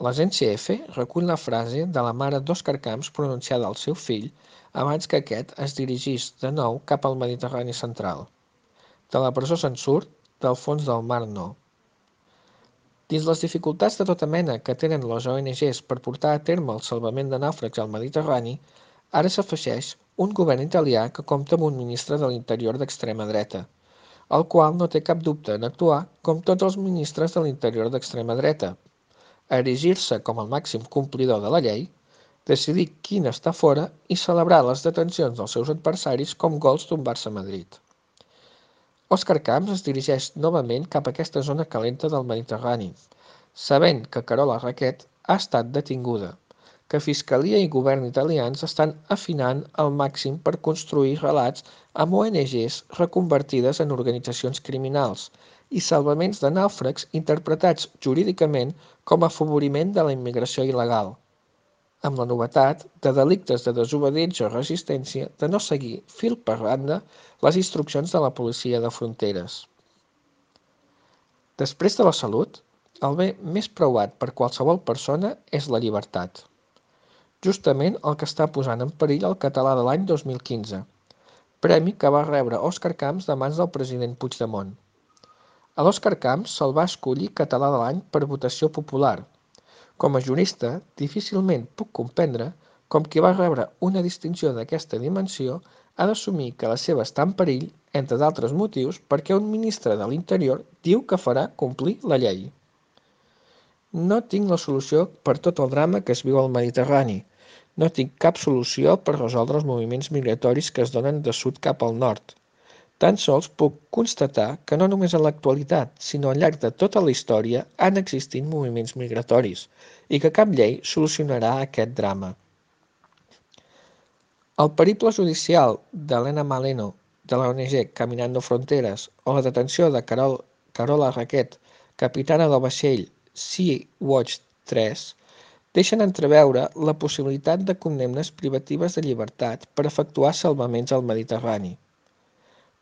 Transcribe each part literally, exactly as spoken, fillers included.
L'agència F recull la frase de la mare d'Òscar Camps pronunciada al seu fill abans que aquest es dirigís de nou cap al Mediterrani central. De la presó se'n surt, del fons del mar no. Dins les dificultats de tota mena que tenen les O N Ges per portar a terme el salvament de nàufrags al Mediterrani, ara s'afegeix un govern italià que compta amb un ministre de l'Interior d'extrema dreta, el qual no té cap dubte en actuar com tots els ministres de l'Interior d'extrema dreta, erigir-se com el màxim complidor de la llei, decidir quin està fora i celebrar les detencions dels seus adversaris com gols d'un Barça Madrid. Òscar Camps es dirigeix novament cap a aquesta zona calenta del Mediterrani, sabent que Carola Racket ha estat detinguda, que Fiscalia i govern italians estan afinant al màxim per construir relats amb O N Ges reconvertides en organitzacions criminals i salvaments de nàufrags interpretats jurídicament com a afavoriment de la immigració il·legal, amb la novetat de delictes de desobediència o resistència de no seguir fil per randa les instruccions de la policia de fronteres. Després de la salut, el bé més preuat per qualsevol persona és la llibertat. Justament el que està posant en perill el català de l'any dos mil quinze, premi que va rebre Òscar Camps de mans del president Puigdemont. A l'Òscar Camps se'l va escollir català de l'any per votació popular. Com a jurista, difícilment puc comprendre com qui va rebre una distinció d'aquesta dimensió ha d'assumir que la seva està en perill, entre d'altres motius, perquè un ministre de l'Interior diu que farà complir la llei. No tinc la solució per tot el drama que es viu al Mediterrani. No tinc cap solució per resoldre els moviments migratoris que es donen de sud cap al nord. Tan sols puc constatar que no només en l'actualitat, sinó al llarg de tota la història han existit moviments migratoris i que cap llei solucionarà aquest drama. El periple judicial d'Elena Maleno, de la O N G Caminando Fronteres, o la detenció de Carol, Carola Racket, capitana del vaixell Sea-Watch tres, deixen entreveure la possibilitat de condemnes privatives de llibertat per efectuar salvaments al Mediterrani.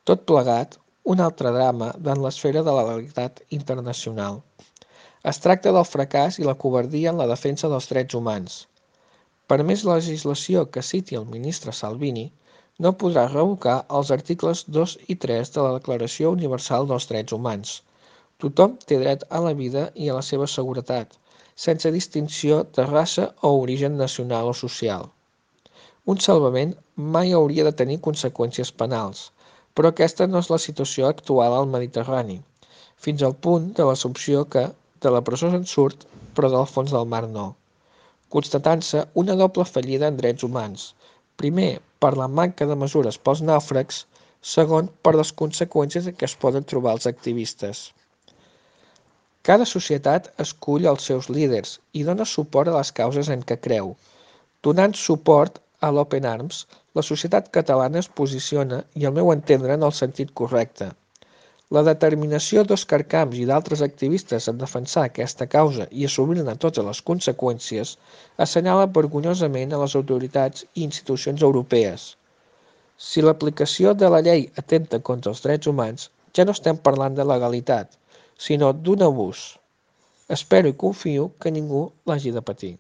Tot plegat, un altre drama en l'esfera de la legalitat internacional. Es tracta del fracàs i la covardia en la defensa dels drets humans. Per més legislació que citi el ministre Salvini, no podrà revocar els articles dos i tres de la Declaració Universal dels Drets Humans. Tothom té dret a la vida i a la seva seguretat, sense distinció de raça o origen nacional o social. Un salvament mai hauria de tenir conseqüències penals, però aquesta no és la situació actual al Mediterrani, fins al punt de l'assumpció que de la presó se'n surt, però del fons del mar no, constatant-se una doble fallida en drets humans, primer per la manca de mesures pels nàufrags, segon per les conseqüències en què es poden trobar els activistes. Cada societat escull els seus líders i dona suport a les causes en què creu. Donant suport a l'Open Arms, la societat catalana es posiciona, i al meu entendre, en el sentit correcte. La determinació d'Òscar Camps i d'altres activistes en defensar aquesta causa i assumir-ne totes les conseqüències assenyala vergonyosament a les autoritats i institucions europees. Si l'aplicació de la llei atenta contra els drets humans, ja no estem parlant de legalitat, sinó d'un abús. Espero i confio que ningú l'hagi de patir.